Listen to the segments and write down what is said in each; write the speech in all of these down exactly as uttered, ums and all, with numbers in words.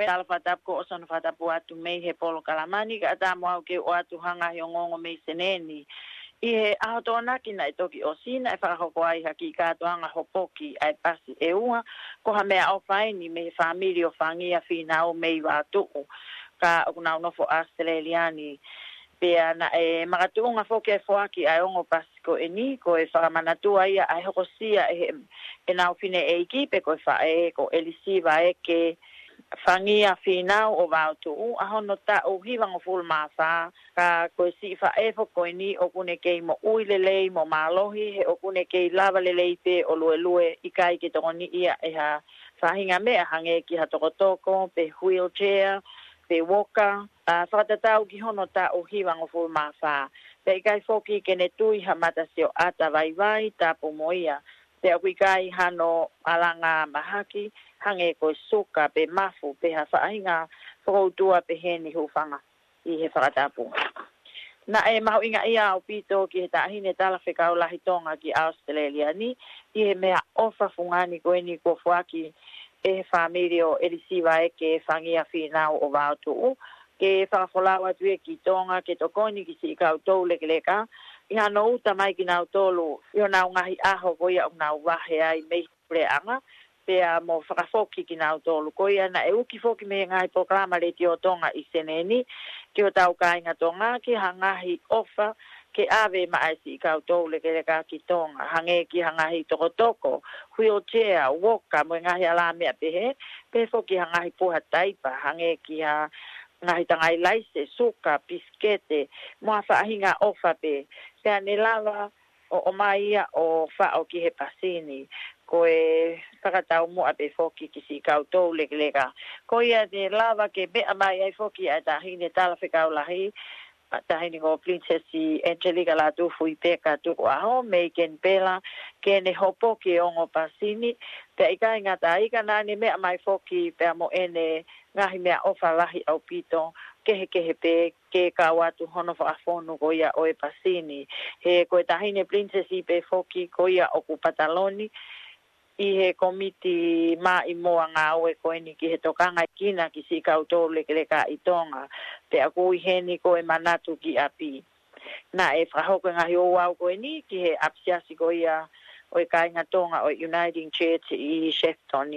tala fakatapu ko ʻosi hono fakatapu atu mei he polokalama ni, kae ʻatā mo au ke u ʻoatu ha ngaahi ongoongo mei Senē ni. ʻI he ʻaho Tokonaki naʻe toki ʻosi, naʻe fakahoko ai ha kiʻi kātoanga hopoki ʻa e pasi ʻe ua, ko ha meʻaʻofa eni mei he fāmili ʻo Fangia Fīnau mei Vaotuʻu, ka ʻoku nau nofo ʻAositelēlia ni. Pea naʻe makatuʻunga foki e foaki ʻa e ongo pasi ko eni, ko e fakamanatua ia ʻa e hokosia ʻe he, ʻenau fineʻeiki pe ko e faʻē ko ʻElisiva Eke Fangia Fīnau ʻo Vaotuʻu, ʻa hono taʻu hivangofulu mā fā, ka ko e siʻi faʻē foki ko eni ʻoku ne kei moʻui lelei mo mālohi, he ʻoku ne kei lava lelei pē ʻo luelue, ʻikai ke tokoniʻi ia ʻe ha faʻahinga meʻa hangē ki ha tokotoko, pe wheelchair, pe walker, ʻa, fakatatau ki hono taʻu hivangofulu mā fā. Pea ʻikai foki ke ne tui ha matasioʻata vaivai tapu mo ia. Pea ʻoku ʻikai hano ʻalanga mahaki, hangē ko e suka pe mafu, pe ha faʻahinga fokoutua pehē ni, hūfanga ʻi he fakatapu. Naʻe mahuʻingaʻia ʻaupito ki he Taʻahine Talafekau Lahi Tonga ki ʻAositelēlia ni, ʻi he meʻaʻofa fungani ko eni kuo foaki ʻe he fāmili ʻo ʻElisiva Eke Fangia Fīnau ʻo Vaotuʻu, ke fakafolau atu ia ki Tonga ke tokoni ki siʻi kau toulekeleka, ʻi hano uta mai kinautolu ʻi honau ngaahi ʻaho ko ia ʻoku nau vahe ai mei he puleʻanga, pea mo fakafoki kinautolu. Ko ia naʻe uki foki mei he ngaahi polokalama Letiō Tonga ʻi Senē ni ki hotau kāinga Tonga, ki ha ngaahi ʻofa ke ʻave maʻa e siʻi kau toulekeleka ki Tonga, hangē ki ha ngaahi tokotoko, wheelchair, walker, mo e ngaahi alā meʻa pehē, pehē foki ha ngaahi puha taipa, hangē ki ha ngaahi tangai laise, suka, pisikete, mo ha faʻahinga ʻofa pē. Pea ne lava ʻo ʻomai ia ʻo faʻo ki he pasi ni, ko e fakataumuʻa pē foki ki siʻi kau toulekeleka. Ko ia ne lava ke meʻa mai ai foki ʻa e Taʻahine Talafekau Lahi, ʻa e Taʻahine ko Pilinisesi Angelika Lātūfuipeka Tukuʻaho mei Kenipela, ke ne hopoki e ongo pasi ni, pea ʻikai ngata ai ka naʻa ne meʻa mai foki pea mo ʻene ngaahi meʻaʻofa lahi ʻaupito, kehekehe pē, ke kau atu hono fakafonu ko ia ʻo e pasi ni. He ko e Taʻahine Pilinisesi pē foki ko ia ʻoku pataloni ʻi he komiti maʻimoa ngāue ko eni ki he tokangaʻekina ki siʻi kau toulekeleka ʻi Tonga. Pea ʻoku ʻi heni ko e manatu ki ʻapi. Naʻe fakahoko e ngaahi ouau ko eni ki he ʻapisiasi ko ia ʻo e kāinga Tonga ʻo e Uniting Church ʻi Shepton.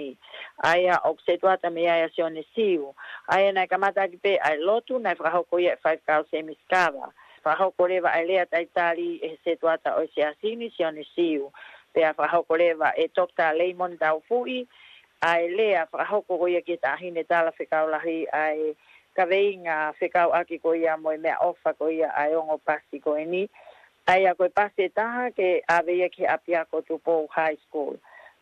ʻA ia ʻoku setuata mei ai ʻa Sione Siu. ʻA ia naʻe kamata ʻaki pē ʻa e lotu, naʻe fakahoko ia ʻe Faifekau Semi Sikava. Fakahoko leva ʻa e lea talitali ʻe he setuata ʻo e siasi ni, Sione Siu. Pea fakahoko leva ʻe Toketā Leimoni Taufuʻi ʻa e lea fakahoko ko ia ki he Taʻahine Talafekau Lahi ʻa e kaveinga fekauʻaki ko ia mo e meʻaʻofa ko ia ʻa e ongo pasi ko eni. ʻA ia ko e pasi ʻe taha ke ʻave ia ki he ʻapiako Tupou High School.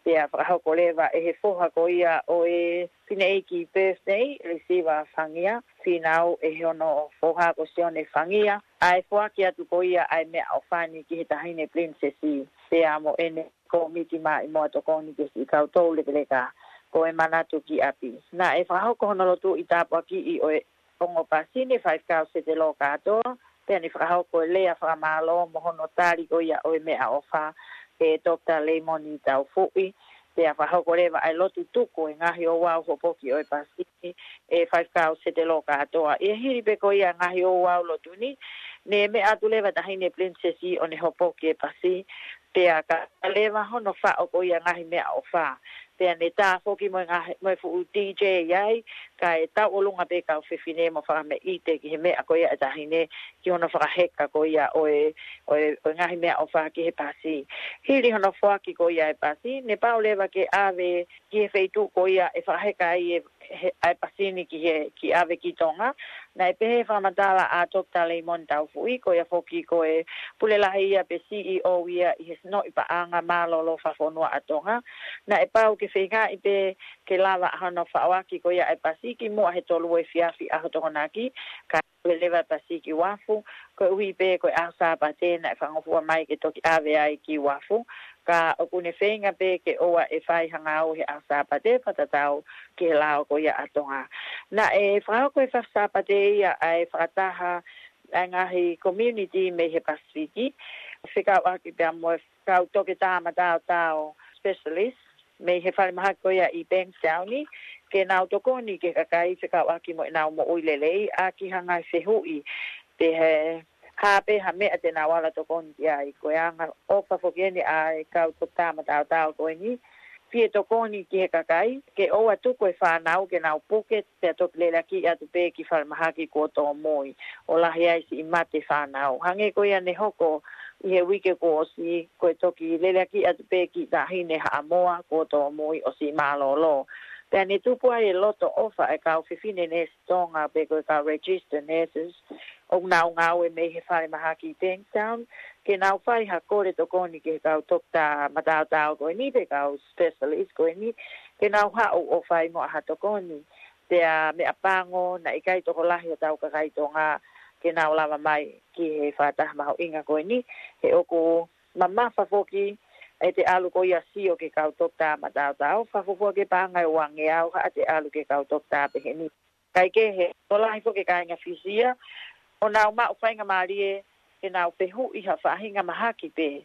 Pea fakahoko leva ʻe he foha ko ia ʻo e fineʻeiki Birthday, ʻElisiva Fangia Fīnau, ʻe he ono foha ko Sione Fangia, ʻa e foaki atu ko ia ʻa e meʻaʻofa ni ki he Taʻahine Pilinisesi, pea mo ʻene komiti maʻimoa tokoni ki siʻi kau toulekeleka, ko e manatu ki ʻapi. Naʻe fakahoko hono lotu ʻi tāpuakiʻi ʻo e ongo pasi ni ʻe Faifekau Setelo Kātoa, pea ne fakahoko e lea fakamālō mo hono tali ko ia ʻo e meʻaʻofa ʻe Toketā Leimoni Taufuʻi. Pea fakahoko leva ʻa e lotu tuku e ngaahi ouau hopoki ʻo e pasi ni ʻe Faifekau Setelo Kātoa. ʻI he hili pē ko ia ngaahi ouau lotu ni, ne meʻa atu leva Taʻahine Pilinisesi ʻo ne hopoki e pasi, pea ka leva hono faʻo ko ia ngaahi meʻaʻofa. Pea ne tā foki mo e ngaahi, mo e fuʻu D J ai, kae tauʻolunga pē kau fefine mo fakameʻite ki he meʻa ko ia ʻa e Taʻahine, ki hono fakaheka ko ia ʻo e, ʻo e, ʻo e ngaahi meʻaʻofa ki he pasi. Hili hono foaki ko ia e pasi, ne pau leva ke ʻave ki he feituʻu ko ia ʻe fakaheka ai e, he, ʻa e pasi ni ki he, ki ʻave ki Tonga. Naʻe pehē fakamatala ʻa Toketā Leimoni Taufuʻi, ko ia foki ko e pule lahi ia pe C E O ia ʻi he Sinoʻi Paʻanga Mālōlō Fakafonua ʻa Tonga. Naʻe pau ke feingaʻi pē ke lava hono faʻoaki ko ia e pasi kimuʻa he tolu efiafi ʻaho Tokonaki, kae ʻave leva e pasi ki uafu, koeʻuhi pē ko e ʻaho Sāpate naʻe fakangofua mai ke toki ʻave ai ki uafu, ka ʻoku ne feinga pē ke ʻoua ʻe fai ha ngāue he ʻaho Sāpate fakatatau ki he lao ko ia ʻa Tonga. Naʻe fakahoko he fakaSāpate ia ʻa e fakataha ʻa e ngaahi community mei he Pasifiki, fekauʻaki pea mo e kau toketā mataotao specialist, mei he falemahaki ko ia ʻi Bankstown, ke nau tokoni ki he kakai fekauʻaki mo ʻenau moʻui lelei, ʻaki ha ngaahi fehuʻi pe ko e hā pē ha meʻa te nau ala tokoni ki ai. Ko e anga ʻofa foki eni ʻa e kau toketā mataotao ko eni, fie tokoni ki he kakai, ke ʻoua tuku e fānau ke nau puke pea toki leleakiʻi atu pē ki falemahaki kuo tōmui, ʻo lahi ai siʻi mate fānau. Hangē ko ia ne hoko ʻi he uike kuo ʻosi, ko e toki leleakiʻi atu pē kiʻi taʻahine Haʻamoa kuo tōmui ʻo siʻi mālōlō. Pea ne tupu ai e loto ʻofa e kau fefine neesi Tonga pe ko e kau registered nurses ʻoku nau ngāue mei he falemahaki Bankstown, ke nau fai ha kole tokoni ki he kau toketā mataotao ko eni pe kau specialist ko eni, ke nau haʻu ʻo fai mo ha tokoni. Pea meʻapango, naʻe ʻikai tokolahi hotau kakai Tonga ke nau lava mai ki he fakataha mahuʻinga ko eni, he ʻoku mamafa foki ʻete ʻalu ko ia ʻo sio ki he kau toketā mataotao, fakafuofua ke paʻanga ʻe uangeau haʻate ʻalu ki he kau toketā pehē ni. Kae kehe, tokolahi foki e kāinga Fisi ia ʻoku nau maʻu faingamālie ke nau fehuʻi ha faʻahinga mahaki pē.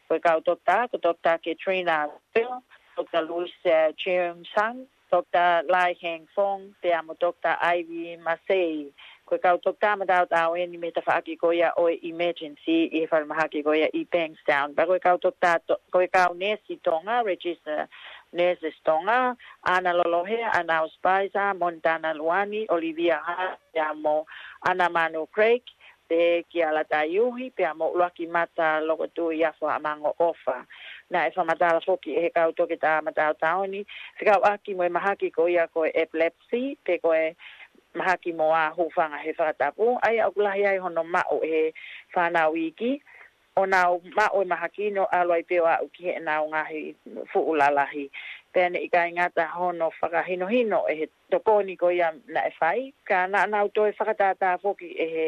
Ko e kau toketā, ko Toketā Katrina Phil, Toketā Louis, eh, Cheung Sang, Toketā Lai Heng Fong, pea mo Toketā Ivy Masei. Ko e kau toketā mataotao eni mei he tafaʻaki ko ia ʻo e emergency ʻi he falemahaki ko ia ʻi Bankstown. Pea ko e kau toketā to-, ko e kau neesi Tonga, registered nurses Tonga, Ana Lolohea, Ana Spicer, Montana Luani, Olivia Hart, pea mo Ana Manu Craig, pea kia Lata Iuhi, pea mo ʻUluaki Mata Lokotui Afo Haʻamango ʻOfa. Naʻe fakamatala foki ʻe he kau toketā mataotao ni fekauʻaki mo e mahaki ko ia ko e epilepsy, pe ko e mahaki mo ha hūfanga he fakatapu, ʻa ia ʻoku lahi ai hono maʻu ʻe he fānau iiki, ʻo nau maʻu e mahaki ni ʻo ʻalu ai pē ʻo aʻu ki heʻenau ngaahi fuʻu lalahi. Pea naʻe ʻikai ngata hono fakahinohino ʻe he tokoni ko ia naʻe fai, ka naʻa nau toe fakatātā foki ʻe he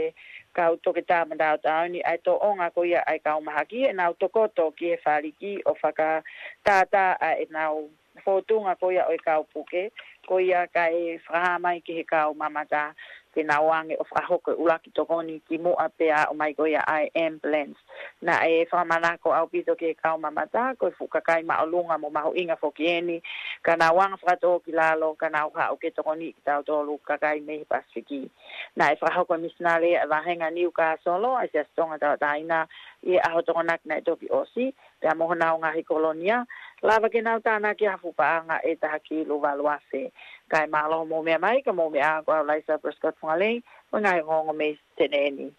kau toketā mataotao ni ʻa e tōʻonga ko ia ʻa e kau mahaki, ʻenau tokoto ki he faliki ʻo fakatātā ʻa ʻenau fōtunga ko ia ʻo e kau puke, ko ia kae fakahā mai ki he kau mamata ke nau ʻoange ʻo fakahoko e ʻuluaki tokoni kimuʻa pea aʻu mai ko ia ʻa e ambulance. Naʻe fakamanako ʻaupito ki he kau mamata, ko e fuʻu kakai māʻolunga mo mahuʻinga foki eni, ka nau anga fakatō ki lalo, ka nau haʻu ke tokoniʻi kitautolu kakai mei he Pasifiki. Naʻe fakahoko e misinale ʻa e vāhenga Niukāsolo ʻa e Siasi Tonga Tauʻatāina ʻi he ʻaho Tokonaki naʻe toki ʻosi, pea mo honau ngaahi kolonia, lava ke nau tānaki ha fuʻu paʻanga ʻe taha kilu valu afe. Kae mālō hoʻomou meʻa mai, ka mou meʻa ā, ko au Laisa Prescott Fungalei, mo e ngaahi ongoongo mei Senē ni.